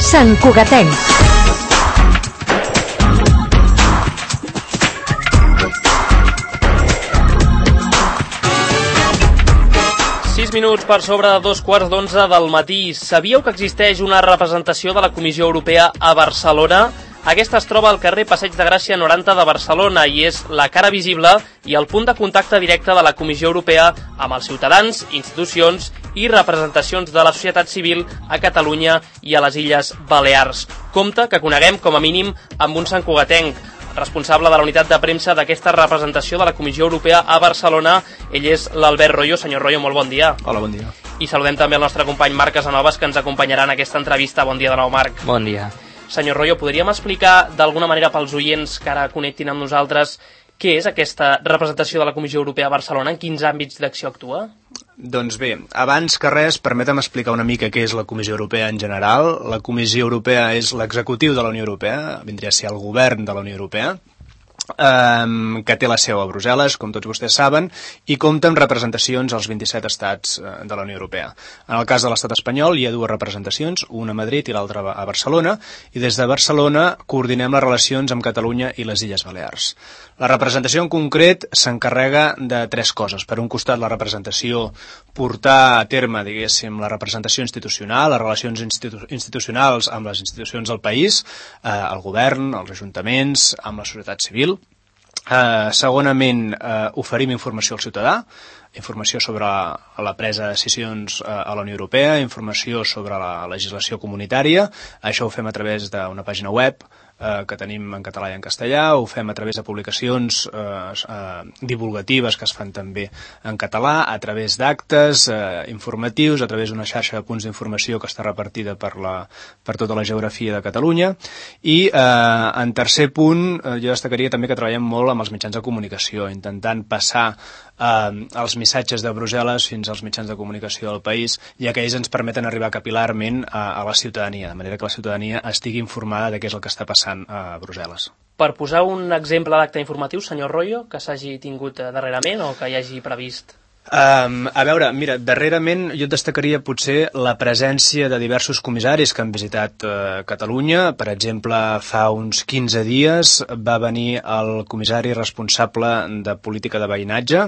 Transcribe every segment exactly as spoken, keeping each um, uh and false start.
Sant Cugatenc. sis minuts per sobre de dos quarts d'onze del matí. Sabíeu que existeix una representació de la Comissió Europea a Barcelona? Aquesta es troba al carrer Passeig de Gràcia noranta de Barcelona i és la cara visible i el punt de contacte directe de la Comissió Europea amb els ciutadans, institucions i representacions de la societat civil a Catalunya i a les Illes Balears. Compte que coneguem com a mínim amb un santcugatenc, responsable de la unitat de premsa d'aquesta representació de la Comissió Europea a Barcelona. Ell és l'Albert Royo. Senyor Royo, molt bon dia. Hola, bon dia. I saludem també el nostre company Marc Casanovas, que ens acompanyarà en aquesta entrevista. Bon dia de nou, Marc. Bon dia. Senyor Royo, podríem explicar d'alguna manera pels oients que ara connectin amb nosaltres què és aquesta representació de la Comissió Europea a Barcelona, en quins àmbits d'acció actua? Doncs bé, abans que res, permetem explicar una mica què és la Comissió Europea en general. La Comissió Europea és l'executiu de la Unió Europea, vindria a ser el govern de la Unió Europea, Um, que té la seu a Brussel·les, com tots vostès saben, i compta amb representacions als vint-i-set estats uh, de la Unió Europea. En el cas de l'estat espanyol hi ha dues representacions, una a Madrid i l'altra a Barcelona, i des de Barcelona coordinem les relacions amb Catalunya i les Illes Balears. La representació en concret s'encarrega de tres coses. Per un costat, la representació, portar a terme, diguéssim, la representació institucional, les relacions institu institucionals amb les institucions del país, eh, el govern, els ajuntaments, amb la societat civil. Uh, segonament, uh, oferim informació al ciutadà, informació sobre la presa de decisions uh, a la Unió Europea, informació sobre la legislació comunitària. Això ho fem a través d'una pàgina web eh, que tenim en català i en castellà, ho fem a través de publicacions eh, eh, divulgatives que es fan també en català, a través d'actes eh, informatius, a través d'una xarxa de punts d'informació que està repartida per, la, per tota la geografia de Catalunya. I eh, en tercer punt, eh, jo destacaria també que treballem molt amb els mitjans de comunicació, intentant passar eh, els missatges de Brussel·les fins als mitjans de comunicació del país, ja que ells ens permeten arribar capilarment a, a la ciutadania, de manera que la ciutadania estigui informada de què és el que està passant a Brussel·les. Per posar un exemple d'acte informatiu, senyor Royo, que s'hagi tingut darrerament o que hi hagi previst? Um, a veure, mira, darrerament jo destacaria potser la presència de diversos comissaris que han visitat uh, Catalunya. Per exemple, fa uns quinze dies va venir el comissari responsable de política de veïnatge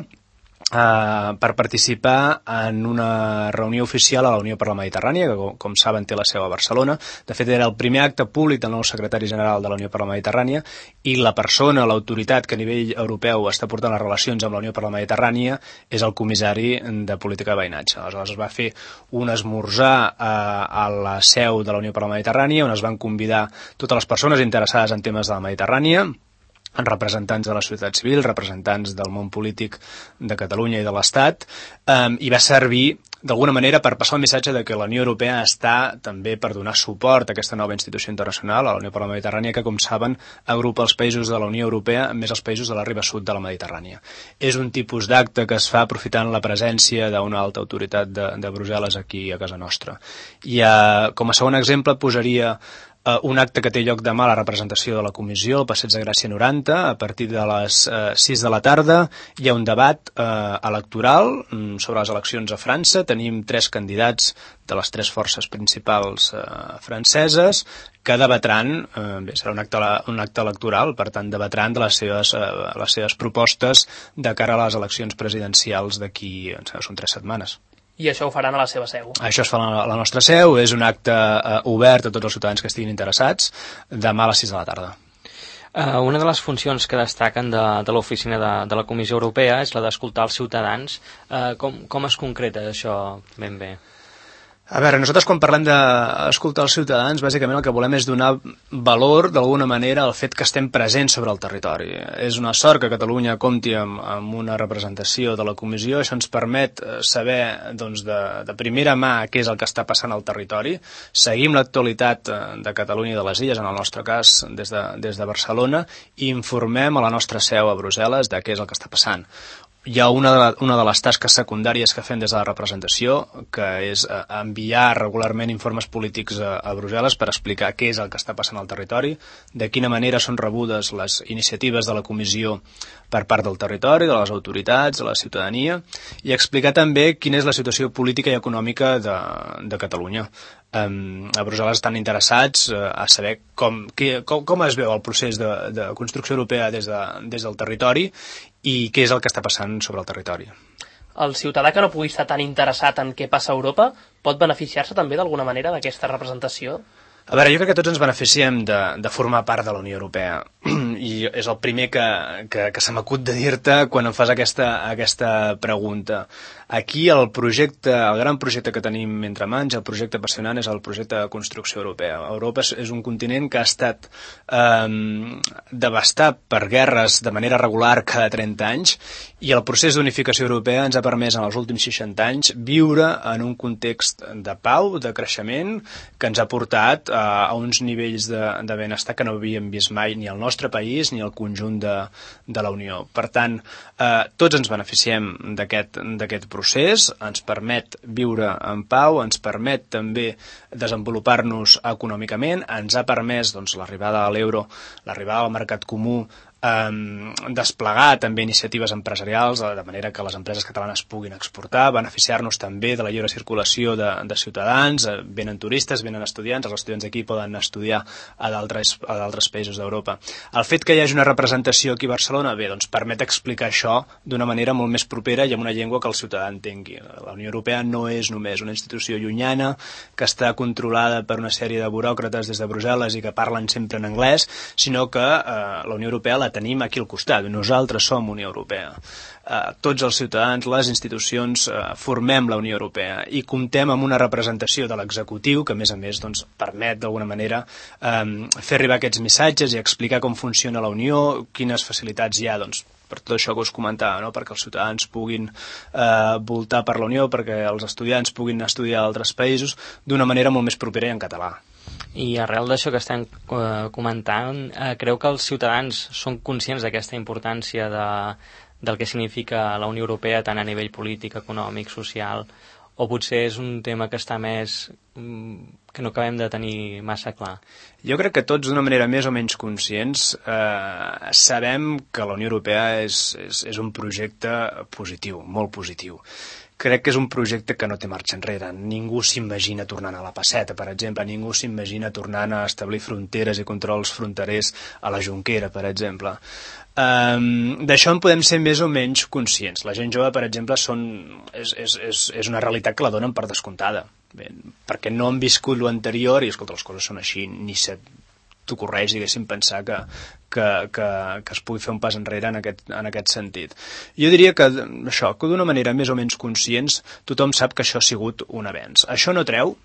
Uh, per participar en una reunió oficial a la Unió per la Mediterrània, que com, com saben té la seu a Barcelona. De fet, era el primer acte públic del nou secretari general de la Unió per la Mediterrània, i la persona, l'autoritat que a nivell europeu està portant les relacions amb la Unió per la Mediterrània és el comissari de política de veïnatge. Aleshores es va fer un esmorzar uh, a la seu de la Unió per la Mediterrània, on es van convidar totes les persones interessades en temes de la Mediterrània, representants de la societat civil, representants del món polític de Catalunya i de l'Estat, eh, i va servir d'alguna manera per passar el missatge de que la Unió Europea està també per donar suport a aquesta nova institució internacional, a la Unió per la Mediterrània, que, com saben, agrupa els països de la Unió Europea més els països de la riba sud de la Mediterrània. És un tipus d'acte que es fa aprofitant la presència d'una alta autoritat de, de Brussel·les aquí a casa nostra. I eh, com a segon exemple posaria Uh, un acte que té lloc demà a la representació de la Comissió, al Passeig de Gràcia noranta, a partir de les uh, sis de la tarda. Hi ha un debat uh, electoral um, sobre les eleccions a França. Tenim tres candidats de les tres forces principals uh, franceses que debatran, uh, bé, serà un acte, un acte electoral, per tant debatran de les seves, uh, les seves propostes de cara a les eleccions presidencials d'aquí, són tres setmanes. I això ho faran a la seva seu? Això es fa a la nostra seu, és un acte uh, obert a tots els ciutadans que estiguin interessats, demà a les sis de la tarda. Uh, una de les funcions que destaquen de, de l'oficina de, de la Comissió Europea és la d'escoltar els ciutadans. Uh, com, com es concreta això ben bé? A veure, nosaltres quan parlem d'escoltar els ciutadans, bàsicament el que volem és donar valor, d'alguna manera, al fet que estem presents sobre el territori. És una sort que Catalunya compti amb, amb una representació de la Comissió. Això ens permet saber doncs, de, de primera mà què és el que està passant al territori. Seguim l'actualitat de Catalunya i de les Illes, en el nostre cas, des de, des de Barcelona, i informem a la nostra seu a Brussel·les de què és el que està passant. hi ha una de, una de les tasques secundàries que fem des de la representació, que és enviar regularment informes polítics a, a Brussel·les per explicar què és el que està passant al territori, de quina manera són rebudes les iniciatives de la Comissió per part del territori, de les autoritats, de la ciutadania, i explicar també quina és la situació política i econòmica de, de Catalunya. Um, a Brussel·les estan interessats uh, a saber com, que, com, com es veu el procés de, de construcció europea des, de, des del territori i què és el que està passant sobre el territori. El ciutadà que no pugui estar tan interessat en què passa a Europa pot beneficiar-se també d'alguna manera d'aquesta representació? A veure, jo crec que tots ens beneficiem de, de formar part de la Unió Europea i és el primer que, que, que se m'acut de dir-te quan em fas aquesta, aquesta pregunta. Aquí el projecte, el gran projecte que tenim entre mans, el projecte apassionant, és el projecte de construcció europea. Europa és un continent que ha estat eh, devastat per guerres de manera regular cada trenta anys i el procés d'unificació europea ens ha permès en els últims seixanta anys viure en un context de pau, de creixement, que ens ha portat a uns nivells de, de benestar que no havíem vist mai ni al nostre país ni al conjunt de, de la Unió. Per tant, eh, tots ens beneficiem d'aquest d'aquest procés, ens permet viure en pau, ens permet també desenvolupar-nos econòmicament, ens ha permès doncs, l'arribada a l'euro, l'arribada al mercat comú, Um, desplegar també iniciatives empresarials de manera que les empreses catalanes puguin exportar, beneficiar-nos també de la lliure circulació de, de ciutadans, venen turistes, venen estudiants, els estudiants d'aquí poden estudiar a d'altres a d'altres països d'Europa. El fet que hi hagi una representació aquí a Barcelona, bé, doncs permet explicar això d'una manera molt més propera i amb una llengua que el ciutadà entengui. La Unió Europea no és només una institució llunyana que està controlada per una sèrie de buròcrates des de Brussel·les i que parlen sempre en anglès, sinó que eh, la Unió Europea la tenim aquí al costat. Nosaltres som Unió Europea. Uh, tots els ciutadans, les institucions, uh, formem la Unió Europea i comptem amb una representació de l'executiu que, a més a més, doncs, permet d'alguna manera um, fer arribar aquests missatges i explicar com funciona la Unió, quines facilitats hi ha, doncs, per tot això que us comentava, no? Perquè els ciutadans puguin eh, voltar per la Unió, perquè els estudiants puguin estudiar a altres països d'una manera molt més propera i en català. I arrel d'això que estem eh, comentant, eh, creu que els ciutadans són conscients d'aquesta importància de, del que significa la Unió Europea tant a nivell polític, econòmic, social, o potser és un tema que està més que no acabem de tenir massa clar? Jo crec que tots d'una manera més o menys conscients eh, sabem que la Unió Europea és, és, és un projecte positiu, molt positiu. Crec que és un projecte que no té marxa enrere. Ningú s'imagina tornant a la passeta, per exemple. Ningú s'imagina tornant a establir fronteres i controls fronterers a la Jonquera, per exemple. Um, D'això en podem ser més o menys conscients. La gent jove, per exemple, són, és, és, és, és una realitat que la donen per descomptada. Bé, perquè no han viscut l'anterior i, escolta, les coses són així, ni se t'ocorreix, diguéssim, pensar que, que, que, que es pugui fer un pas enrere en aquest, en aquest sentit. Jo diria que això, que d'una manera més o menys conscients, tothom sap que això ha sigut un avenç. Això no treu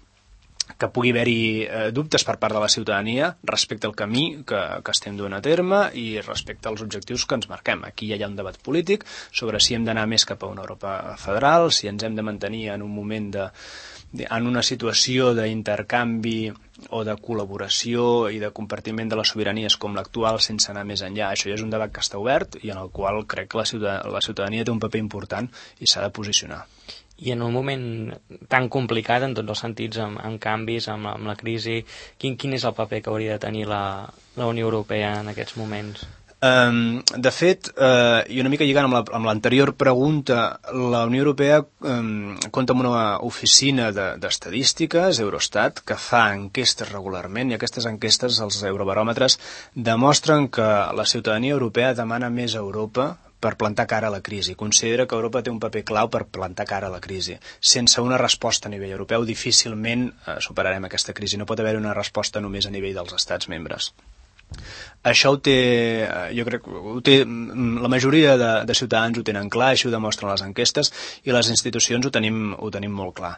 que pugui haver-hi eh, dubtes per part de la ciutadania respecte al camí que, que estem duent a terme i respecte als objectius que ens marquem. Aquí ja hi ha un debat polític sobre si hem d'anar més cap a una Europa federal, si ens hem de mantenir en un moment de en una situació d'intercanvi o de col·laboració i de compartiment de les sobiranies com l'actual sense anar més enllà. Això ja és un debat que està obert i en el qual crec que la ciutadania, la ciutadania té un paper important i s'ha de posicionar. I en un moment tan complicat en tots els sentits, amb, amb canvis, amb, amb la crisi, quin, quin és el paper que hauria de tenir la, la Unió Europea en aquests moments? Um, de fet, uh, i una mica lligant amb, la, amb l'anterior pregunta, la Unió Europea um, compta amb una oficina de, d'estadístiques, Eurostat, que fa enquestes regularment, i aquestes enquestes, els eurobaròmetres, demostren que la ciutadania europea demana més a Europa per plantar cara a la crisi. Considera que Europa té un paper clau per plantar cara a la crisi. Sense una resposta a nivell europeu, difícilment uh, superarem aquesta crisi. No pot haver una resposta només a nivell dels estats membres. Això ho té, jo crec, ho té, la majoria de, de ciutadans ho tenen clar, així ho demostren les enquestes, i les institucions ho tenim, ho tenim molt clar.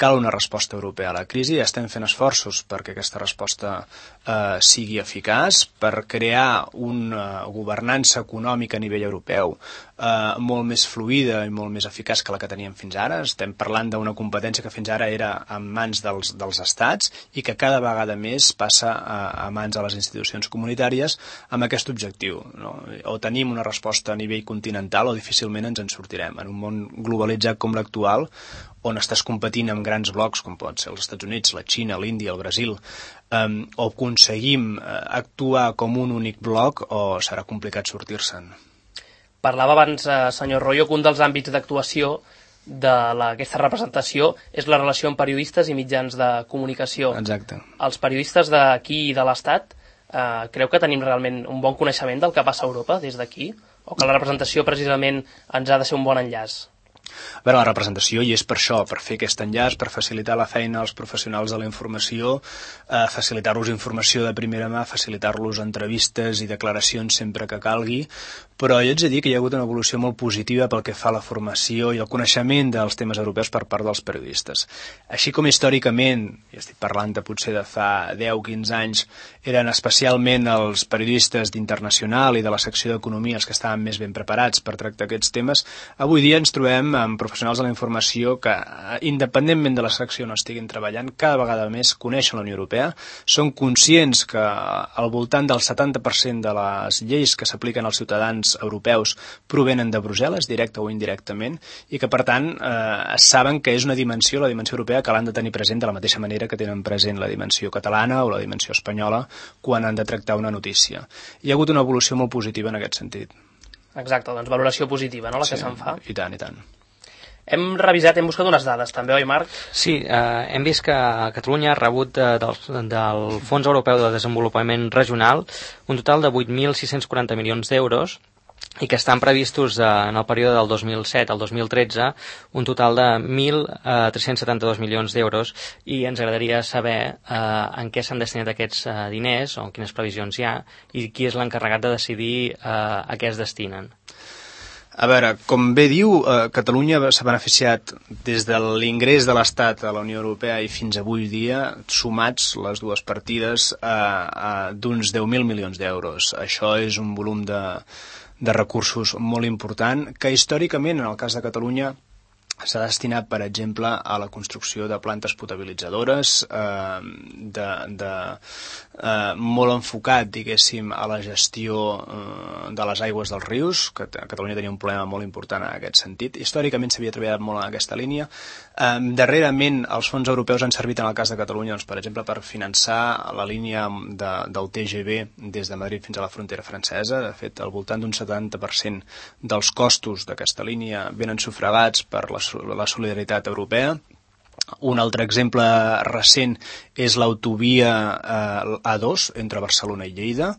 Cal una resposta europea a la crisi, i estem fent esforços perquè aquesta resposta eh, sigui eficaç, per crear una governança econòmica a nivell europeu eh, molt més fluida i molt més eficaç que la que teníem fins ara. Estem parlant d'una competència que fins ara era en mans dels, dels estats i que cada vegada més passa a, a mans de les institucions comunitàries comunitàries amb aquest objectiu, no? O tenim una resposta a nivell continental o difícilment ens en sortirem. En un món globalitzat com l'actual, on estàs competint amb grans blocs com pot ser els Estats Units, la Xina, l'Índia, el Brasil, um, o aconseguim uh, actuar com un únic bloc o serà complicat sortir-se'n. Parlava abans, eh, senyor Royo, que un dels àmbits d'actuació d'aquesta representació és la relació amb periodistes i mitjans de comunicació. Exacte. Els periodistes d'aquí i de l'Estat, eh, creu que tenim realment un bon coneixement del que passa a Europa des d'aquí? O que la representació precisament ens ha de ser un bon enllaç? A veure, la representació hi és per això, per fer aquest enllaç, per facilitar la feina als professionals de la informació, eh, facilitar-los informació de primera mà, facilitar-los entrevistes i declaracions sempre que calgui, però jo ets a dir que hi ha hagut una evolució molt positiva pel que fa a la formació i el coneixement dels temes europeus per part dels periodistes. Així com històricament, i estic parlant de potser de fa deu o quinze anys, eren especialment els periodistes d'Internacional i de la secció d'Economia els que estaven més ben preparats per tractar aquests temes, avui dia ens trobem amb professionals de la informació que, independentment de la secció on estiguin treballant, cada vegada més coneixen la Unió Europea, són conscients que al voltant del setanta per cent de les lleis que s'apliquen als ciutadans europeus provenen de Brussel·les, directe o indirectament, i que, per tant, eh, saben que és una dimensió, la dimensió europea, que l'han de tenir present de la mateixa manera que tenen present la dimensió catalana o la dimensió espanyola quan han de tractar una notícia. Hi ha hagut una evolució molt positiva en aquest sentit. Exacte, doncs valoració positiva, no?, la sí, que se'n fa. I tant, i tant. Hem revisat, hem buscat unes dades també, oi Marc? Sí, eh, hem vist que Catalunya ha rebut de, del, del Fons Europeu de Desenvolupament Regional un total de vuit mil sis-cents quaranta milions d'euros i que estan previstos eh, en el període del dos mil set al dos mil tretze un total de mil tres-cents setanta-dos milions d'euros, i ens agradaria saber eh, en què s'han destinat aquests eh, diners o quines previsions hi ha i qui és l'encarregat de decidir eh, a què es destinen. A veure, com bé diu, eh, Catalunya s'ha beneficiat des de l'ingrés de l'Estat a la Unió Europea i fins avui dia, sumats les dues partides, eh, eh, d'uns deu mil milions d'euros. Això és un volum de, de recursos molt important, que històricament, en el cas de Catalunya, s'ha destinat, per exemple, a la construcció de plantes potabilitzadores, eh, de, de, eh, molt enfocat, diguéssim, a la gestió eh, de les aigües dels rius, que a Catalunya tenia un problema molt important en aquest sentit. Històricament s'havia treballat molt en aquesta línia. Eh, darrerament, els fons europeus han servit, en el cas de Catalunya, doncs, per exemple, per finançar la línia de, del T G V des de Madrid fins a la frontera francesa. De fet, al voltant d'un setanta per cent dels costos d'aquesta línia venen sufragats per la la solidaritat europea. Un altre exemple recent és l'autovia eh, A dos entre Barcelona i Lleida,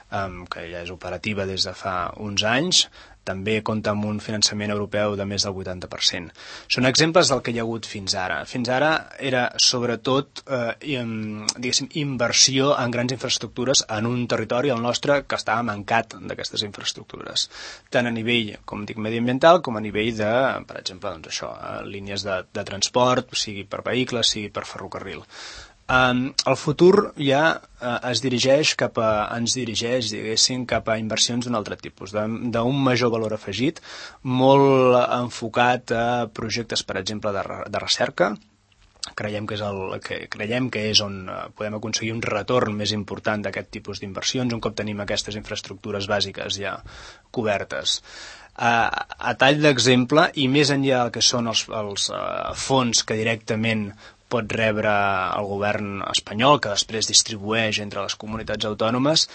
eh, que ja és operativa des de fa uns anys. També compta amb un finançament europeu de més del vuitanta per cent. Són exemples del que hi ha hagut fins ara. Fins ara era sobretot eh, diguéssim, inversió en grans infraestructures en un territori, el nostre, que estava mancat d'aquestes infraestructures, tant a nivell, com dic, mediambiental, com a nivell de, per exemple, doncs això, línies de, de transport, sigui per vehicles, sigui per ferrocarril. Um, el futur ja uh, es dirigeix cap a, ens dirigeix, diguéssim, cap a inversions d'un altre tipus, d'un major valor afegit, molt enfocat a projectes, per exemple, de, de recerca. Creiem que és, el, que, creiem que és on podem aconseguir un retorn més important d'aquest tipus d'inversions, un cop tenim aquestes infraestructures bàsiques ja cobertes. A, a tall d'exemple, i més enllà del que són els, els uh, fons que directament pot rebre el govern espanyol, que després distribueix entre les comunitats autònomes.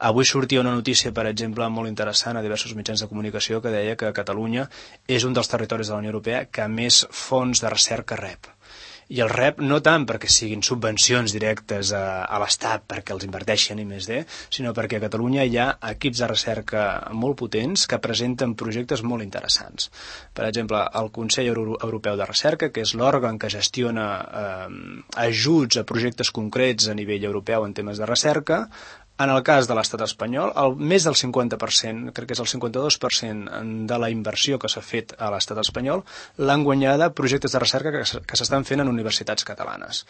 Avui sortia una notícia, per exemple, molt interessant a diversos mitjans de comunicació que deia que Catalunya és un dels territoris de la Unió Europea que més fons de recerca rep. I el rep no tant perquè siguin subvencions directes a, a l'Estat perquè els inverteixen i més de, sinó perquè a Catalunya hi ha equips de recerca molt potents que presenten projectes molt interessants. Per exemple, el Consell Europeu de Recerca, que és l'òrgan que gestiona eh, ajuts a projectes concrets a nivell europeu en temes de recerca. En el cas de l'estat espanyol, el, més del cinquanta per cent, crec que és el cinquanta-dos per cent de la inversió que s'ha fet a l'estat espanyol, l'han guanyada projectes de recerca que, que s'estan fent en universitats catalanes.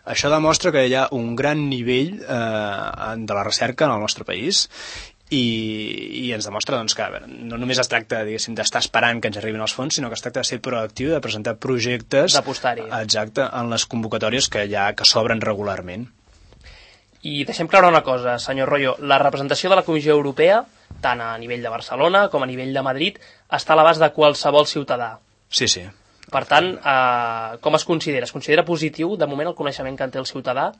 Això demostra que hi ha un gran nivell eh, de la recerca en el nostre país i, i ens demostra doncs, que veure, no només es tracta d'estar esperant que ens arribin els fons, sinó que es tracta de ser proactiu, de presentar projectes d'apostar-hi. Exacte, en les convocatòries que, ja, que s'obren regularment. I deixem clara una cosa, senyor Royo, la representació de la Comissió Europea, tant a nivell de Barcelona com a nivell de Madrid, està a l'abast de qualsevol ciutadà. Sí, sí. Per tant, eh, com es considera? Es considera positiu, de moment, el coneixement que en té el ciutadà?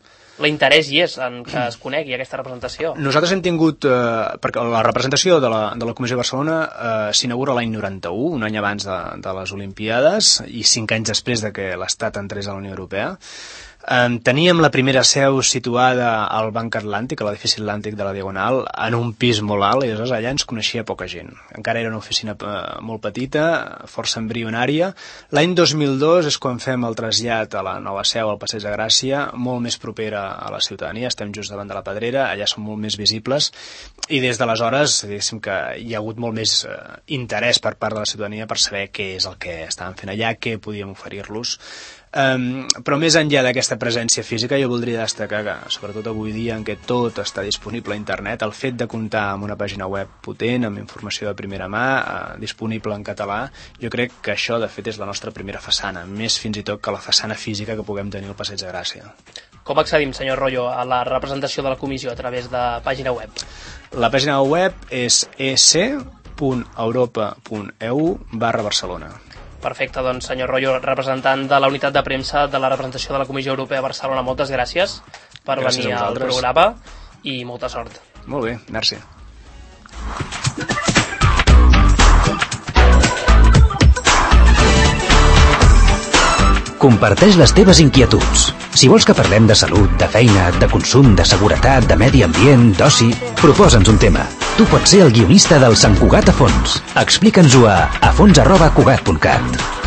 L'interès hi és en que es conegui aquesta representació? Nosaltres hem tingut, eh, perquè la representació de la, de la Comissió de Barcelona eh, s'inaugura l'any noranta-u, un any abans de, de les Olimpiades, i cinc anys després de que l'Estat entrés a la Unió Europea. Um, teníem la primera seu situada al Banc Atlàntic, a l'edifici Atlàntic de la Diagonal, en un pis molt alt, i aleshores allà ens coneixia poca gent. Encara era una oficina uh, molt petita, força embrionària. L'any dos mil dos és quan fem el trasllat a la nova seu al Passeig de Gràcia, molt més propera a la ciutadania, estem just davant de la Pedrera, allà som molt més visibles, i des d'aleshores, diguéssim que hi ha hagut molt més uh, interès per part de la ciutadania per saber què és el que estàvem fent allà, què podíem oferir-los. Um, però més enllà d'aquesta presència física, jo voldria destacar que, sobretot avui dia en què tot està disponible a internet, el fet de comptar amb una pàgina web potent, amb informació de primera mà, uh, disponible en català, jo crec que això de fet és la nostra primera façana, més fins i tot que la façana física que puguem tenir al Passeig de Gràcia. Com accedim, senyor Royo, a la representació de la comissió a través de pàgina web? La pàgina web és e ce punt europa punt e u barra Barcelona. Perfecte, doncs, senyor Royo, representant de la unitat de premsa de la representació de la Comissió Europea a Barcelona, moltes gràcies per gràcies venir al programa i molta sort. Molt bé, merci. Comparteix les teves inquietuds. Si vols que parlem de salut, de feina, de consum, de seguretat, de medi ambient, d'oci, proposa'ns un tema. Tu pots ser el guionista del Sant Cugat a fons. Explica'ns-ho a afons arroba cugat punt cat.